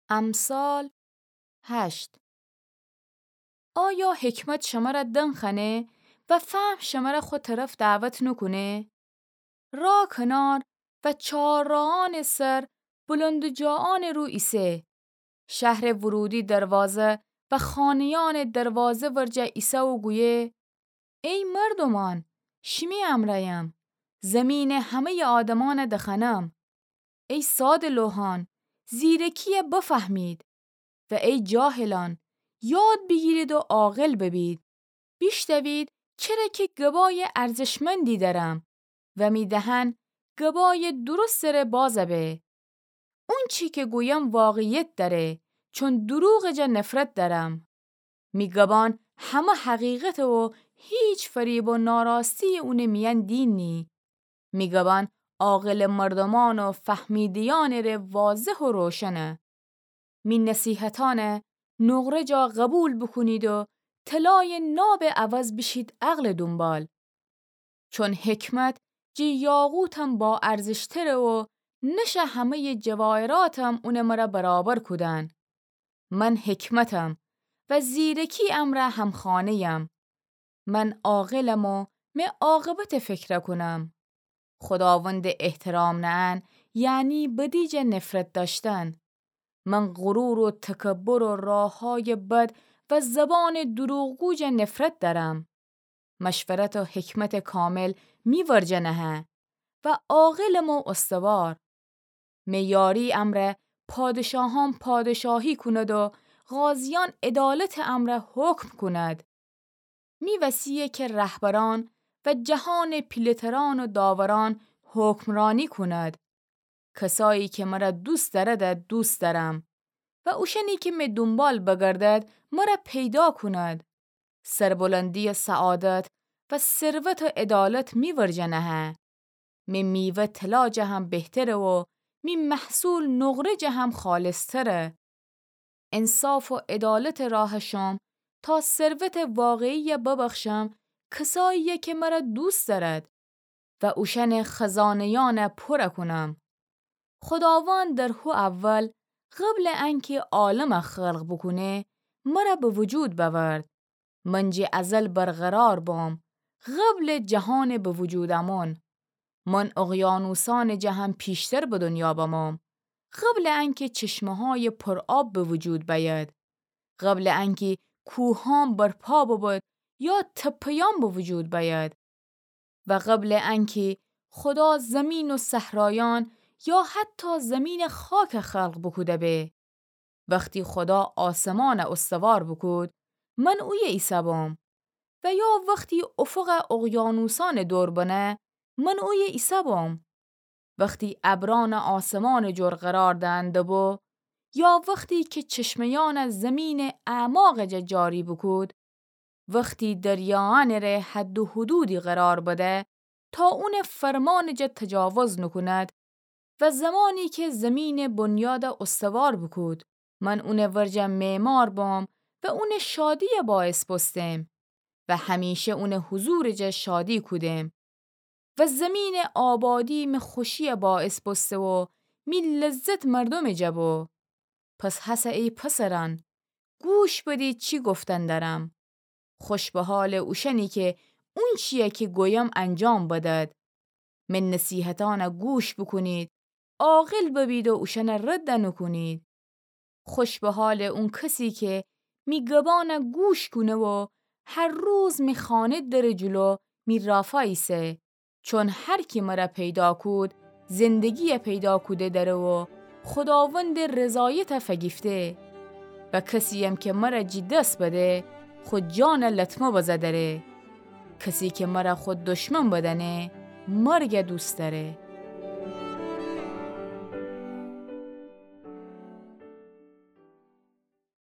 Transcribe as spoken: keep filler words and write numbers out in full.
امثال هشت. آیا حکمت شمره دنخوأنه و فهم شمره خو طرف دعوت نوکونه؟ راه کنار و چهارراهأنٚ سر بلندجاهأنٚ رو ایسه. شهرٚ ورودی دروازه و خانه‌یأنٚ دروازه ورجه ایسه و گویه: ای مردومأن، شیمی امرأیم، زمینٚ همه‌یٚ آدمأنه دخوأنم. ای ساده‌لوحأن، زیرکی‌یه بفهمید، و ای جاهلأن، یاد بیگیرید و عاقل ببید. بیشنوید، چره کی گبایٚ ارزشمندی دأرم و می دهن گبایٚ درستٚ ره بازه به. اونچی کی گویم واقعیت دأره، چون دروغٚ جا نفرت دأرم. می گبان همه حقیقته و هیچ فریب و ناراستی اونٚ میأن دینی. می گبان عاقلٚ مردومأن و فهمیده‌یأنٚ ره واضح و روشنه. می نصیحتأنه نقره جا قبول بوکونید و طلایٚ نابٚ عوض بیشید عقلٚ دونبال. چون حکمت جٚه یاقوتم با ارزشتره و نشٚ همه‌یٚ جواهراتم اونٚ مره برابر کودن. من حکمتم و زیرکی امرأ همخانه‌یم. من عاقلم و می عاقبته فکر کونم. خوداوندٚ احترام نأن یعنی بدی جا نفرت دأشتن. من غرور و تکبر و راههایٚ بد و زبانٚ دروغگو جا نفرت دأرم. مشورت و حکمتٚ کامل می ورجه نهه و عاقلم و استوار. می یاری امرأ پادشاهأن پادشاهی کوند و قاضیأن عدالتٚ امرأ حکم کوند. می وسیه کی رهبرأن و جهانٚ پیله‌ترأن و داورأن حکمرأنی کوند. کسایی کی مره دوست دأرده دوست دأرم و اوشأنی کی می دونبال بگردد مره پیدا کوند. سربلندی و سعادت و ثروت و عدالت می ورجه نهه. می میوه طلا جه هم بهتره و می محصول نقره جه هم خالصتره. انصاف و عدالتٚ راه شم تا ثروتٚ واقعی‌یه ببخشم کسایی‌یه کی مره دوست دأرد و اوشأنٚ خزانه‌یأنه پوره کونم. خوداوند در هو اول، قبلٚ انکی عالمه خلق بوکونه، مره به وجود بأورد. من جٚه ازل برقرار بم، قبلٚ جهانٚ به وجود آمون. من اقیانوسأنٚ جه هم پیشتر به دنیا بمم، قبلٚ انکی چشمه‌هایٚ پرآب به وجود بأید، قبلٚ انکی کوهأن برپا ببد یا تپه‌یأن به وجود بأید. و قبلٚ انکی خودا زمین و صحرایأن یا حتی زمینٚ خاک خلق بوکوده به. وختی خودا آسمأنه استوار بوکود، من اویه ایسه بم. و یا وختی افقه اقیانوسأنٚ دور بنه، من اویه ایسه بم. وختی ابرأنه آسمانٚ جور قرار دهنده بو، یا وختی کی چشمه‌یأنه زمینٚ اعماقٚ جا جاری بوکود، وختی دریایأنٚ ره حد و حدودی قرار بده، تا اونٚ فرمانٚ جا تجاوز نوکوند، و زمانی کی زمینٚ بنیاده استوار بوکود، من اونٚ ورجه معمار بم و اونٚ شادی‌یه باعث بوستم و همیشه اونٚ حضورٚ جا شادی کودم. و زمینٚ آبادی می خوشی‌یه باعث بوسته و می لذت مردومٚ جا بو. پس هسه ای پسرأن، گوش بدید چی گفتن دأرم. خوش به حالٚ اوشأنی کی اونچی‌یه کی گویم انجام بدد. می نصیحتأنه گوش بوکونید، عاقل ببید و اوشأنه رد نوکونید. خوش به حالٚ اون کسی کی می گبأنه گوش کونه و هر روز می خانه درٚ جلو می رافا ایسه. چون هر کی مره پیدا کود، زندگی‌یه پیدا کوده دره و خوداوندٚ رضایته فگیفته. و کسی‌یم کی مره جی دس بده، خو جانه لطمه بزه دره. کسی کی مره خو دشمن بدأنه، مرگه دوست دأره.